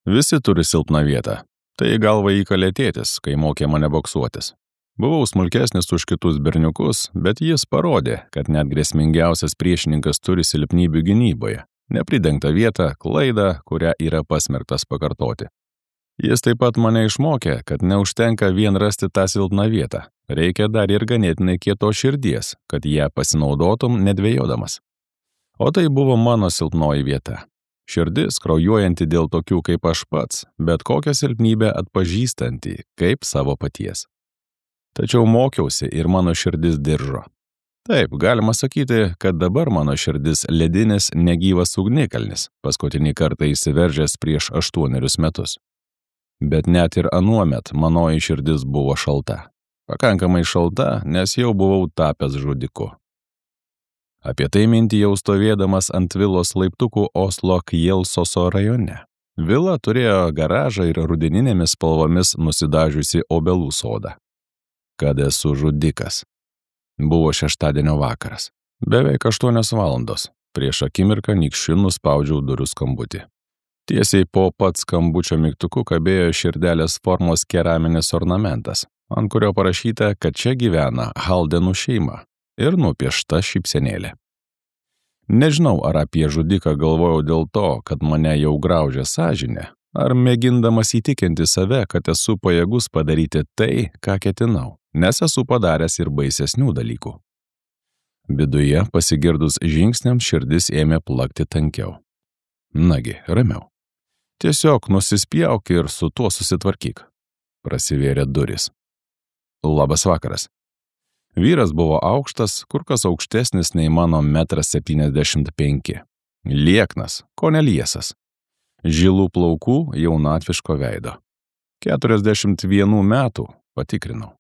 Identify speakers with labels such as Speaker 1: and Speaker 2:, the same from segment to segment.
Speaker 1: Visi turi silpną vietą. Tai galva įkalė tėtis, kai mokė mane boksuotis. Buvau smulkesnis už kitus berniukus, bet jis parodė, kad net grėsmingiausias priešininkas turi silpnybių gynyboje, nepridengtą vietą, klaidą, kurią yra pasmerktas pakartoti. Jis taip pat mane išmokė, kad neužtenka vien rasti tą silpną vietą. Reikia dar ir ganėtinai kietos širdies, kad ją pasinaudotum nedvejodamas. O tai buvo mano silpnoji vieta. Širdis kraujuojanti dėl tokių kaip aš pats, bet kokią silpnybę atpažįstanti kaip savo paties. Tačiau mokiausi ir mano širdis diržo. Taip, galima sakyti, kad dabar mano širdis ledinis negyvas ugnikalnis, paskutinį kartą įsiveržęs prieš 8 metus. Bet net ir anuomet manoji širdis buvo šalta. Pakankamai šalta, nes jau buvau tapęs žudiku. Apie tai mintijau stovėdamas ant vilos laiptukų Oslo Kjelsoso rajone. Vila turėjo garažą ir rudeninėmis spalvomis nusidažiusi obelų sodą. Kad esu žudikas. Buvo šeštadienio vakaras. Beveik 8 valandos. Prieš akimirką nykščiu nuspaudžiau durų skambutį. Tiesiai po pat skambučio mygtuku kabėjo širdelės formos keraminis ornamentas, ant kurio parašyta, kad čia gyvena Haldenų šeima ir nupiešta šypsenėlė. Nežinau, ar apie žudiką galvojau dėl to, kad mane jau graužia sąžinė, ar mėgindamas įtikinti save, kad esu pajėgus padaryti tai, ką ketinau, nes esu padaręs ir baisesnių dalykų. Viduje pasigirdus žingsniams širdis ėmė plakti tankiau. Nagi, ramiau. Tiesiog nusispjauk ir su tuo susitvarkyk. Prasivėrė durys. Labas vakaras. Vyras buvo aukštas, kur kas aukštesnis nei mano 1,75 m. Lieknas, kone liesas. Žilų plaukų, jaunatviško veido. 41 metų, patikrinau.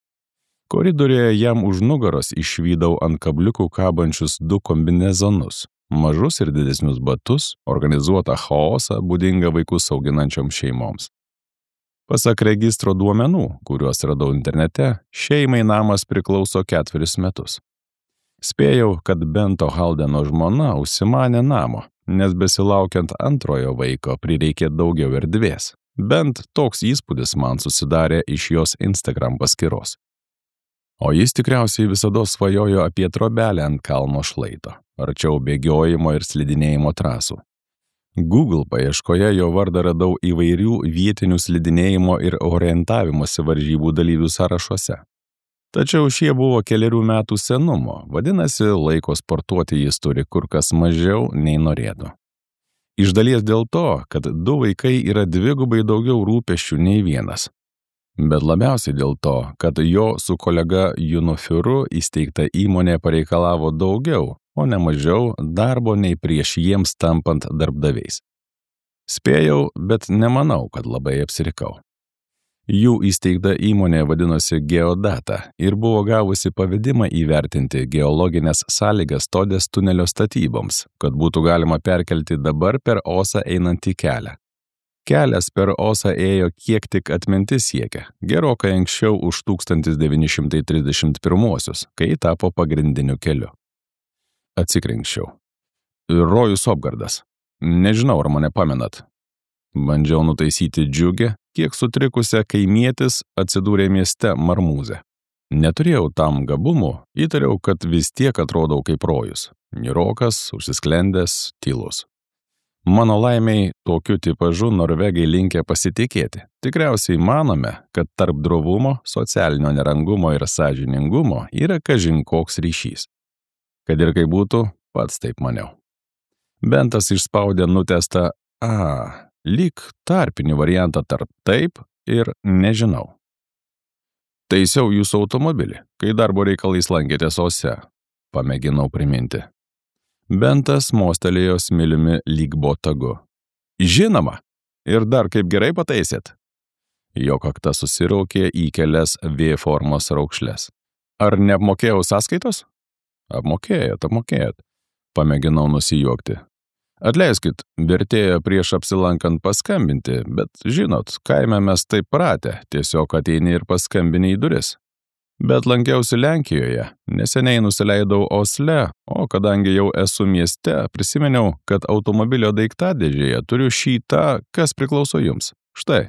Speaker 1: Koridoriuje jam už nugaros išvydau ant kabliukų kabančius 2 kombinezonus, mažus ir didesnius batus, organizuotą chaosą būdingą vaikus auginančioms šeimoms. Pasak registro duomenų, kuriuos radau internete, šeimai namas priklauso 4 metus. Spėjau, kad Bento Haldeno žmona užsimanė namo, nes besilaukiant antrojo vaiko prireikė daugiau erdvės. Bent toks įspūdis man susidarė iš jos Instagram paskyros. O jis tikriausiai visada svajojo apie trobelę ant kalno šlaito, arčiau bėgiojimo ir slidinėjimo trasų. Google paieškoje jo vardą radau įvairių vietinių slidinėjimo ir orientavimosi varžybų dalyvių sąrašuose. Tačiau šie buvo 4 metų senumo, vadinasi, laiko sportuoti jis turi kur kas mažiau nei norėtų. Iš dalies dėl to, kad 2 vaikai yra 2 daugiau rūpesčių nei vienas. Bet labiausiai dėl to, kad jo su kolega Junofiuru įsteigta įmonė pareikalavo daugiau, o ne mažiau darbo nei prieš jiems tampant darbdaviais. Spėjau, bet nemanau, kad labai apsirikau. Jų įsteigta įmonė vadinosi Geodata ir buvo gavusi pavedimą įvertinti geologinės sąlygas Todės tunelio statyboms, kad būtų galima perkelti dabar per Osą einantį kelią. Kelias per Osą ėjo kiek tik atmintis siekia, gerokai anksčiau už 1931, kai tapo pagrindiniu keliu. Atsikrenkščiau. Rojus Opgardas. Nežinau, ar mane pamenat. Bandžiau nutaisyti džiugę, kiek sutrikusią kaimietis atsidūrė mieste Marmūze. Neturėjau tam gabumų, įtariau, kad vis tiek atrodau kaip rojus. Niūrokas, užsisklendęs, tylus. Mano laimiai, tokiu tipažu norvegai linkę pasitikėti. Tikriausiai manome, kad tarp drovumo, socialinio nerangumo ir sąžiningumo yra kažin koks ryšys. Kad ir kaip būtų, pats taip maniau. Bentas išspaudė nutestą lyg tarpinį variantą tarp taip ir nežinau. Taisiau jūsų automobilį, kai darbo reikalais lankėtės Ose, pamėginau priminti. Bentas mostelėjo smiliumi lyg botagu. Žinoma, ir dar kaip gerai pataisėt. Jo kakta susiraukė į kelias V formos raukšles. Ar neapmokėjau sąskaitos? Apmokėjot. Pamėginau nusijuokti. Atleiskit, vertėjo prieš apsilankant paskambinti, bet žinot, kaime mes taip pratę, tiesiog ateini ir paskambini į duris. Bet lankiausi Lenkijoje, neseniai nusileidau Osle, o kadangi jau esu mieste, prisiminiau, kad automobilio daiktadėžėje turiu šį tą, kas priklauso jums. Štai.